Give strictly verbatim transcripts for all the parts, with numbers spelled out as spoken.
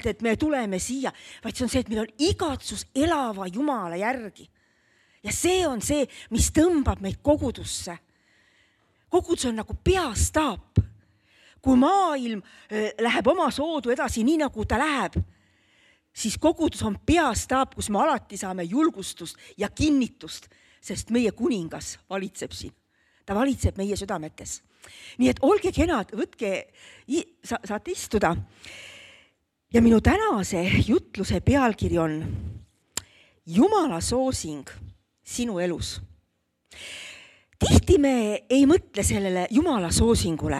et me tuleme siia, vaid see on see, et meil on igatsus elava Jumala järgi. Ja see on see, mis tõmbab meid kogudusse. Kogudus on nagu peastaap. Kui maailm läheb oma soodu edasi nii, nagu ta läheb, siis kogudus on peastaap, kus me alati saame julgustust ja kinnitust, sest meie kuningas valitseb siin. Ta valitseb meie südametes. Nii et olge kenad, võtke, sa, saate istuda. Ja minu tänase jutluse pealkiri on Jumala soosing sinu elus. Tihti me ei mõtle sellele Jumala soosingule,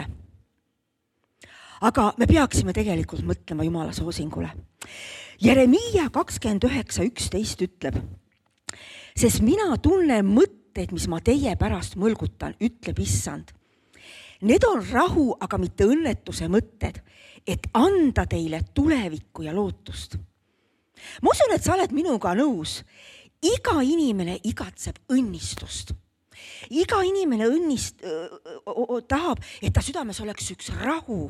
aga me peaksime tegelikult mõtlema Jumala soosingule. Jeremiia kakskümmend üheksa üksteist ütleb, sest mina tunnen mõtteid, mis ma teie pärast mõlgutan, ütleb Issand. Need on rahu, aga mitte õnnetuse mõtted, et anda teile tulevikku ja lootust. Ma usun, et sa oled minuga nõus. Iga inimene igatseb õnnistust. Iga inimene õnnist, öö, tahab, et ta südames oleks üks rahu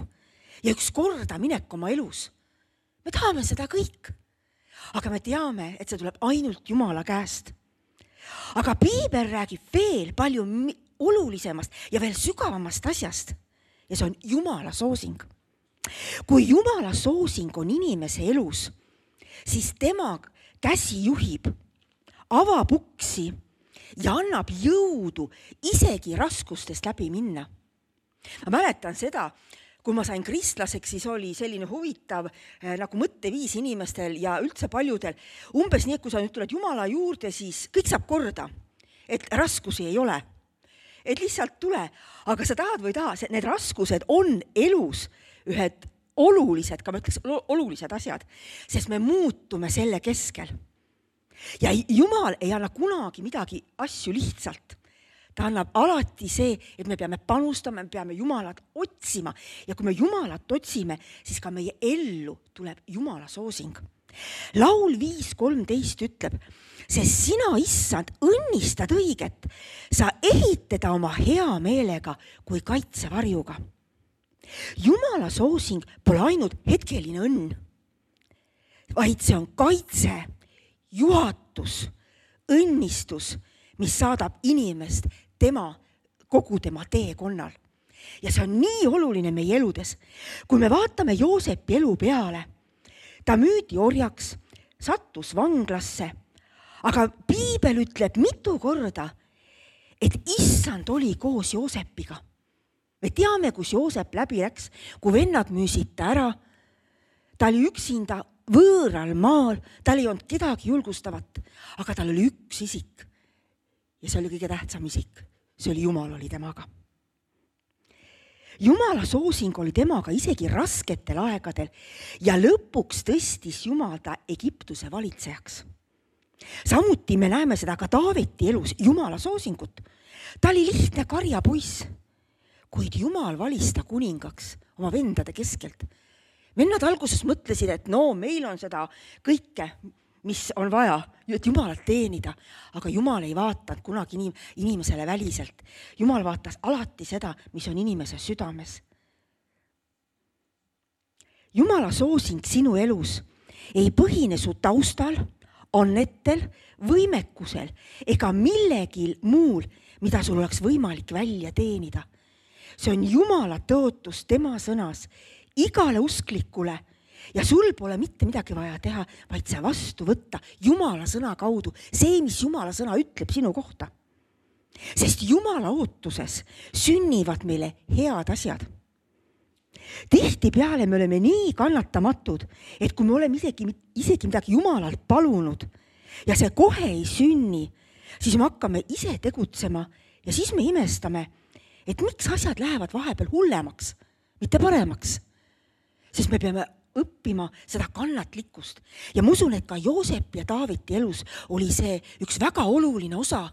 ja üks korda minek oma elus. Me tahame seda kõik, aga me teame, et see tuleb ainult Jumala käest. Aga Piibel räägib veel palju olulisemast ja veel sügavamast asjast ja see on Jumala soosing. Kui Jumala soosing on inimese elus, siis tema käsi juhib, avab uksi ja annab jõudu isegi raskustest läbi minna. Ma mäletan seda, kui ma sain kristlaseks, siis oli selline huvitav eh, nagu mõtteviis inimestel ja üldse paljudel. Umbes nii, et kui sa nüüd tuled Jumala juurde, siis kõik saab korda, et raskusi ei ole. Et lihtsalt tule, aga sa tahad või taha, need raskused on elus ühed olulised, ka ma ütleks olulised asjad, sest me muutume selle keskel. Ja Jumal ei anna kunagi midagi asju lihtsalt. Ta annab alati see, et me peame panustama, me peame Jumalat otsima ja kui me Jumalat otsime, siis ka meie ellu tuleb Jumala soosing. Laul viis kolmteist ütleb, sest sina, Issand, õnnistad õiget, sa ehitada oma hea meelega kui kaitsevarjuga. Jumala soosing pole ainult hetkeline õnn, vaid see on kaitse, juhatus, õnnistus, mis saadab inimest tema, kogu tema teekonnal. Ja see on nii oluline meie eludes. Kui me vaatame Joosepi elu peale, ta müüdi orjaks, sattus vanglasse, aga Piibel ütleb mitu korda, et Issand oli koos Joosepiga. Me teame, kus Joosep läbi läks, kui vennad müüsid ta ära, ta oli üksinda võõral maal, tal ei olnud kedagi julgustavat, aga tal oli üks isik ja see oli kõige tähtsam isik, see oli Jumal oli temaga. Jumala soosing oli temaga isegi rasketel aegadel ja lõpuks tõstis Jumal ta Egiptuse valitsejaks. Samuti me näeme seda ka Taaveti elus, Jumala soosingut. Ta oli lihtne karjapoiss, kuid Jumal valis ta kuningaks oma vendade keskelt. Vennad alguses mõtlesid, et no meil on seda kõike, mis on vaja, et Jumalat teenida, aga Jumal ei vaatanud kunagi inimesele väliselt. Jumal vaatas alati seda, mis on inimese südames. Jumala soosing sinu elus ei põhine su taustal, annetel, võimekusel ega millegil muul, mida sul oleks võimalik välja teenida. See on Jumala tõotus tema sõnas igale usklikule ja sul pole mitte midagi vaja teha, vaid see vastu võtta Jumala sõna kaudu, see, mis Jumala sõna ütleb sinu kohta. Sest Jumala ootuses sünnivad meile head asjad. Tihti peale me oleme nii kannatamatud, et kui me oleme isegi, isegi midagi Jumalalt palunud ja see kohe ei sünni, siis me hakkame ise tegutsema ja siis me imestame, et miks asjad lähevad vahepeal hullemaks, mitte paremaks. Sest me peame õppima seda kannatlikkust. Ja ma usun, et ka Joosep ja Taaveti elus oli see üks väga oluline osa.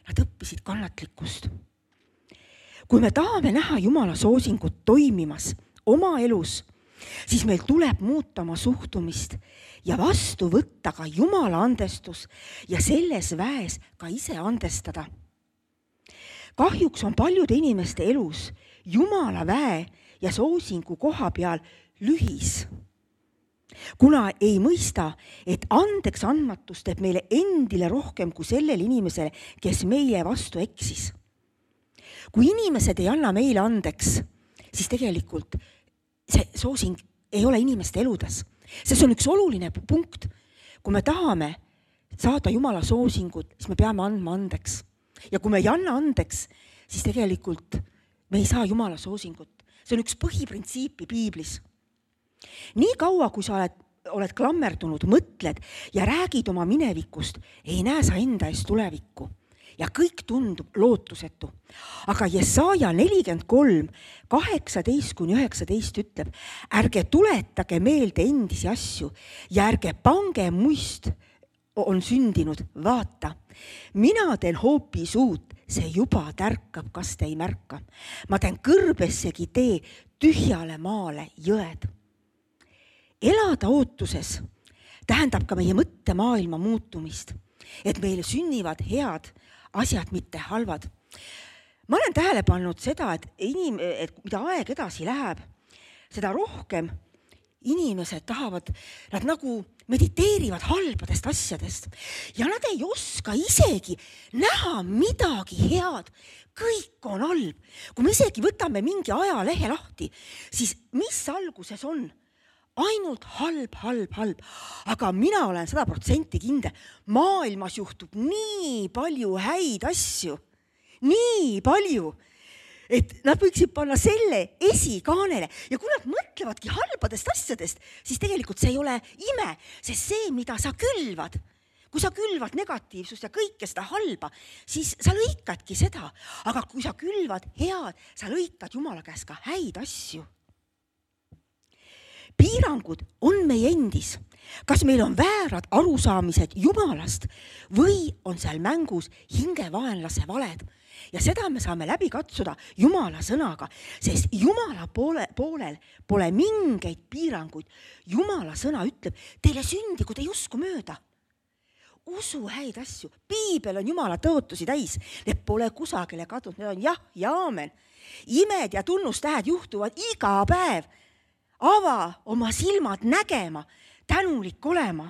Nad õppisid kannatlikkust. Kui me tahame näha Jumala soosingut toimimas oma elus, siis meil tuleb muuta oma suhtumist ja vastu võtta ka Jumala andestus ja selles väes ka ise andestada. Kahjuks on paljude inimeste elus Jumala väe ja soosingu koha peal lühis. kuna ei mõista, et andeks andmatus teeb meile endile rohkem kui sellele inimesele, kes meie vastu eksis. Kui inimesed ei anna meile andeks, siis tegelikult see soosing ei ole inimeste eludes. See on üks oluline punkt. Kui me tahame saada Jumala soosingut, siis me peame andma andeks. Ja kui me ei anna andeks, siis tegelikult me ei saa Jumala soosingut. See on üks põhiprintsiipi piiblis. Nii kaua, kui sa oled, oled klammerdunud, mõtled ja räägid oma minevikust, ei näe sa enda eest tulevikku. Ja kõik tundub lootusetu. Aga Jesaja nelikümmend kolm, kaheksateist kuni üheksateist ütleb, ärge tuletage meelde endisi asju ja ärge pange muist on sündinud, vaata. Mina teen hoopis uut, see juba tärkab, kas te ei märka. Ma teen kõrbessegi tee tühjale maale jõed. Elada ootuses tähendab ka meie mõttemaailma muutumist, et meile sünnivad head asjad, mitte halvad. Ma olen tähele pannud seda, et, inim, et mida aeg edasi läheb, seda rohkem inimesed tahavad, nad nagu mediteerivad halbadest asjadest ja nad ei oska isegi näha midagi head. Kõik on halb. Kui me isegi võtame mingi ajalehe lahti, siis mis alguses on? Ainult halb, halb, halb. Aga mina olen sada protsenti kindel. Maailmas juhtub nii palju häid asju. Nii palju. Et nad võiksid panna selle esikaanele. Ja kui nad mõtlevadki halbadest asjadest, siis tegelikult see ei ole ime. Sest see, mida sa külvad, kui sa külvad negatiivsust ja kõike seda halba, siis sa lõikadki seda. Aga kui sa külvad head, sa lõikad Jumala käest ka häid asju. Piirangud on meie endis. Kas meil on väärad arusaamised Jumalast või on seal mängus hingevaenlase valed? Ja seda me saame läbi katsuda Jumala sõnaga, sest Jumala poole, poolel pole mingeid piiranguid. Jumala sõna ütleb, teile sündi, kui te ei usku mööda. Usu häid asju. Piibel on Jumala tõotusi täis. Need pole kusagile kadunud. Need on jah ja aamen. Imed ja tunnustähed juhtuvad iga päev. Ava oma silmad nägema, tänulik olema.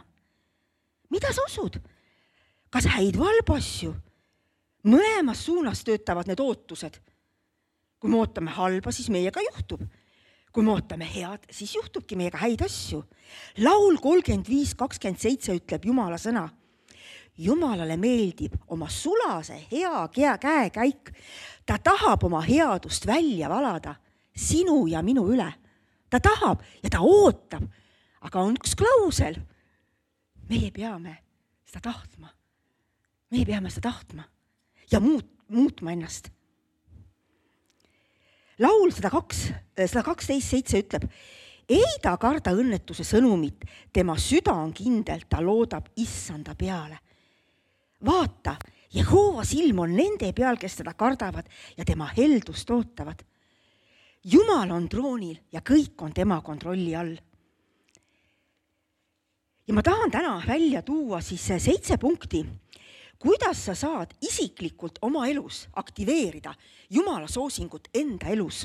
Mida sa usud? Kas häid valb asju? Mõlemas suunas töötavad need ootused. Kui me ootame halba, siis meiega juhtub. Kui me ootame head, siis juhtubki meiega häid asju. Laul kolmkümmend viis kakskümmend seitse ütleb Jumala sõna. Jumalale meeldib oma sulase hea käekäik. Ta tahab oma headust välja valada sinu ja minu üle. Ta tahab ja ta ootab, aga on üks klausel. Meie peame seda tahtma. Meie peame seda tahtma ja muut, muutma ennast. Laul sada kaksteist seitse ütleb, ei ta karda õnnetuse sõnumit, tema süda on kindel, ta loodab issanda peale. Vaata, Jehova silm on nende peal, kes teda kardavad ja tema heldust ootavad. Jumal on troonil ja kõik on tema kontrolli all. Ja ma tahan täna välja tuua siis seitse punkti, kuidas sa saad isiklikult oma elus aktiveerida Jumala soosingut enda elus.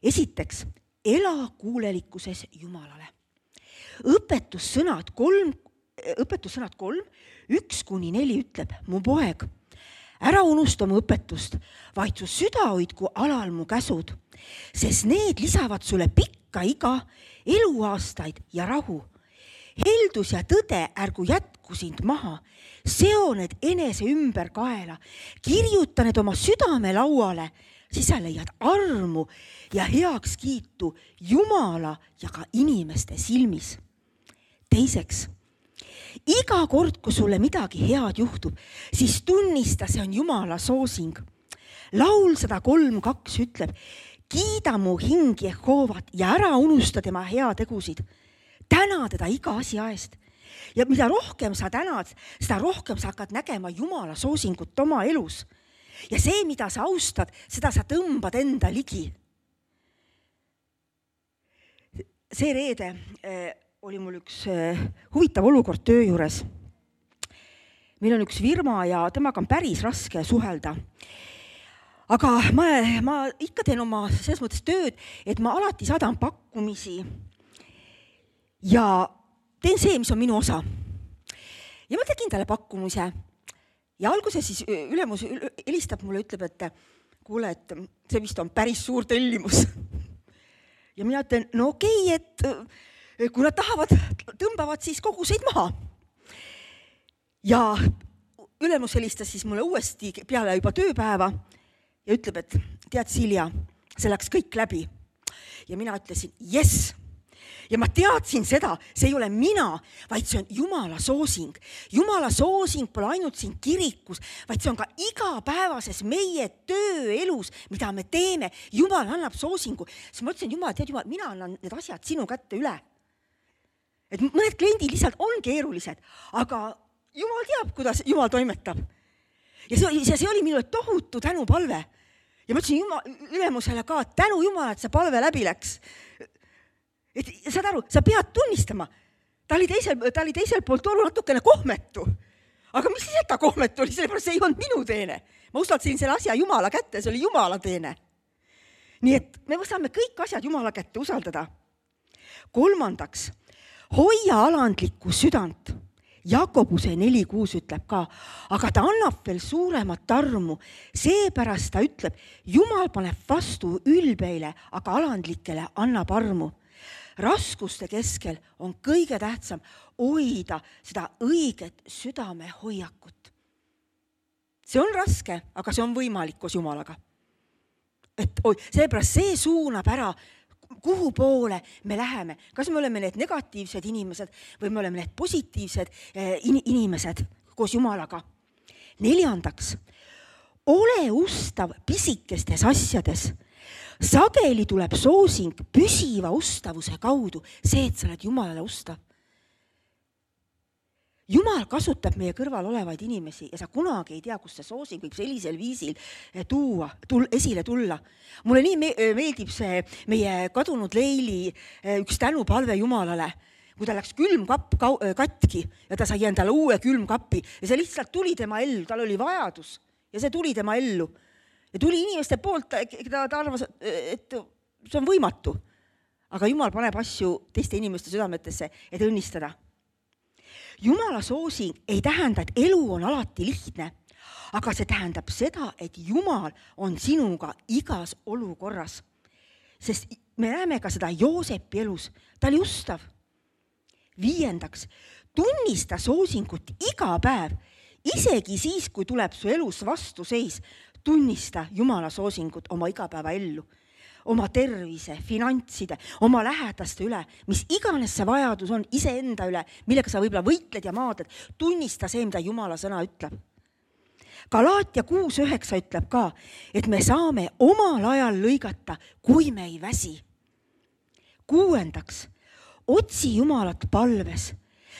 Esiteks, ela kuulelikkuses Jumalale. Õpetussõnad kolm, õpetussõnad kolm, üks kuni neli ütleb, mu poeg, ära unusta mu õpetust, vaid su süda hoidku alal mu käsud, sest need lisavad sulle pikka iga, eluaastaid ja rahu. Heldus ja tõde ärgu jätku sind maha, seo need enese ümber kaela, kirjuta need oma südame lauale, siis sa leiad armu ja heaks kiitu Jumala ja ka inimeste silmis. Teiseks, iga kord, kui sulle midagi head juhtub, siis tunnista, see on Jumala soosing. Laul sada kolm kaks ütleb, kiida mu hing Jehovat ja ära unusta tema hea tegusid. Täna teda iga asja eest. Ja mida rohkem sa tänad, seda rohkem sa hakkad nägema Jumala soosingut oma elus. Ja see, mida sa austad, seda sa tõmbad enda ligi. See reede äh, oli mul üks äh, huvitav olukord töö juures. Meil on üks firma ja temaga on päris raske suhelda. Aga ma, ma ikka teen oma selles mõttes tööd, et ma alati saadan pakkumisi. ja teen see, mis on minu osa. Ja ma tegin talle pakkumise ja alguses siis ülemus helistab mulle, ütleb, et kuule, et see vist on päris suur tellimus. Ja mina ütlen, no okei, et kui nad tahavad, tõmbavad siis koguseid maha. Ja ülemus helistas siis mulle uuesti peale juba tööpäeva ja ütleb, et tead, Silja, see läks kõik läbi. Ja mina ütlesin, yes. Ja ma teadsin seda, see ei ole mina, vaid see on Jumala soosing. Jumala soosing pole ainult siin kirikus, vaid see on ka igapäevases meie tööelus, mida me teeme. Jumal annab soosingu. Siis ma ütlesin, Jumal, tead Jumal, mina annan need asjad sinu kätte üle. Et mõned kliendid lihtsalt on keerulised, aga Jumal teab, kuidas Jumal toimetab. Ja see, see oli minu tohutu tänupalve. Ja ma ütlesin Jumal, ülemusele ka, tänu Jumal, et see palve läbi läks. Et saad aru, sa pead tunnistama. Ta oli teisel, ta oli teisel poolt olnud natukene kohmetu. Aga mis siis, et ta kohmetu oli? Sellepärast see ei olnud minu teene. Ma usaldasin selle asja Jumala kätte, see oli Jumala teene. Nii et me saame kõik asjad Jumala kätte usaldada. Kolmandaks, hoia alandlikku südant. Jakobuse neli kuus ütleb ka, aga ta annab veel suuremat armu. Seepärast ta ütleb, Jumal paneb vastu ülbeile, aga alandlikele annab armu. Raskuste keskel on kõige tähtsam hoida seda õiget südame hoiakut. See on raske, aga see on võimalik koos Jumalaga. Et oi, seepärast see suunab ära, kuhu poole me läheme. Kas me oleme need negatiivsed inimesed või me oleme need positiivsed inimesed koos Jumalaga. Neljandaks, ole ustav pisikestes asjades. Sageli tuleb soosing püsiva ustavuse kaudu, see, et sa oled Jumalale ustav. Jumal kasutab meie kõrval olevaid inimesi ja sa kunagi ei tea, kus see soosing võib sellisel viisil tuua, tul, esile tulla. Mulle nii meeldib see meie kadunud Leili üks tänupalve Jumalale, kui ta läks külmkapp katki ja ta sai endale uue külmkapi ja see lihtsalt tuli tema ellu, tal oli vajadus ja see tuli tema ellu. Ja tuli inimeste poolt, ta, ta arvas, et see on võimatu. Aga Jumal paneb asju teiste inimeste südametesse, et õnnistada. Jumala soosing ei tähenda, et elu on alati lihtne, aga see tähendab seda, et Jumal on sinuga igas olukorras. Sest me näeme ka seda Joosepi elus, ta oli ustav. Viiendaks, tunnista soosingut iga päev, isegi siis, kui tuleb su elus vastuseis, tunnista Jumala soosingut oma igapäeva ellu, oma tervise, finantside, oma lähedaste üle, mis iganes see vajadus on, iseenda üle, millega sa võib-olla võitled ja maaded, tunnista see, mida Jumala sõna ütleb. Galaatia kuus üheksa ütleb ka, et me saame omal ajal lõigata, kui me ei väsi. Kuuendaks, otsi Jumalat palves,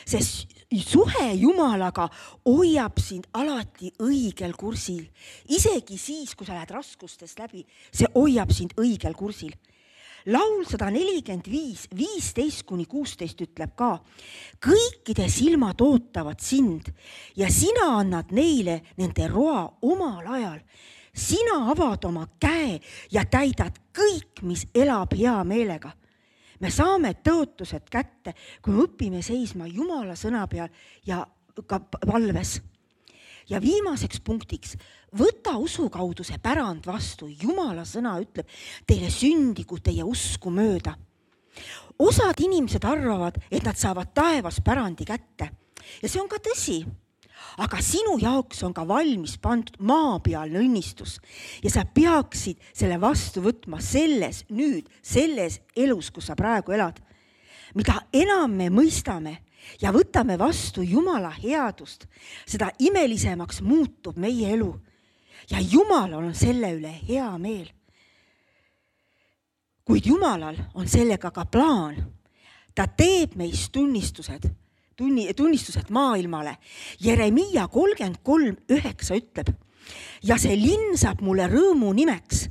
sest suhe Jumalaga hoiab sind alati õigel kursil. Isegi siis, kui sa lähed raskustest läbi, see hoiab sind õigel kursil. Laul sada nelikümmend viis, viisteist kuni kuusteist ütleb ka, kõikide silmad ootavad sind ja sina annad neile nende roa omal ajal. Sina avad oma käe ja täidad kõik, mis elab hea meelega. Me saame tõotused kätte, kui me õpime seisma Jumala sõna peal ja ka palves. Ja viimaseks punktiks, võta usu kaudu see pärand vastu. Jumala sõna ütleb, teile sündigu teie usku mööda. Osad inimesed arvavad, et nad saavad taevas pärandi kätte. Ja see on ka tõsi. Aga sinu jaoks on ka valmis pandud maapealne õnnistus ja sa peaksid selle vastu võtma selles nüüd, selles elus, kus sa praegu elad. Mida enam me mõistame ja võtame vastu Jumala headust, seda imelisemaks muutub meie elu ja Jumalal on selle üle hea meel. Kuid Jumalal on sellega ka plaan. Ta teeb meist tunnistused. Tunni, tunnistused maailmale. Jeremiia kolmkümmend kolm üheksa ütleb, ja see linn saab mulle rõõmu nimeks,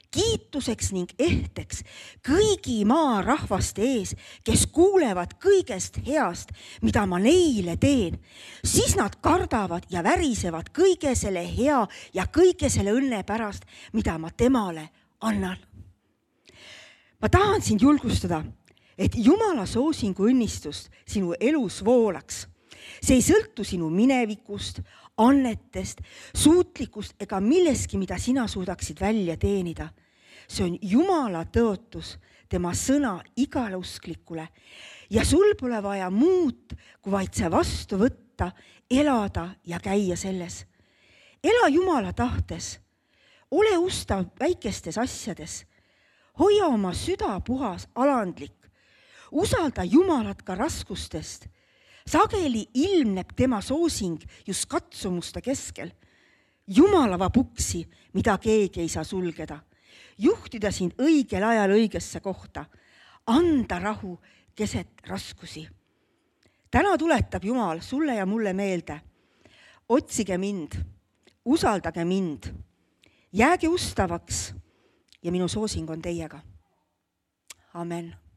kiituseks ning ehteks kõigi maa rahvaste ees, kes kuulevad kõigest heast, mida ma neile teen. Siis nad kardavad ja värisevad kõige selle hea ja kõige selle õnne pärast, mida ma temale annan. Ma tahan sind julgustada, et Jumala soosingu õnnistust sinu elus voolaks. See ei sõltu sinu minevikust, annetest, suutlikust ega milleski, mida sina suudaksid välja teenida. See on Jumala tõotus, tema sõna igale usklikule ja sul pole vaja muud, kui vaid see vastu võtta, elada ja käia selles. Ela Jumala tahtes, ole ustav väikestes asjades, hoia oma süda puhas alandlik, usalda Jumalat ka raskustest. Sageli ilmneb tema soosing just katsumuste keskel. Jumalava puksi, mida keegi ei saa sulgeda. Juhtida sind õigel ajal õigesse kohta. Anda rahu keset raskusi. Täna tuletab Jumal sulle ja mulle meelde. Otsige mind, usaldage mind, jääge ustavaks ja minu soosing on teiega. Amen.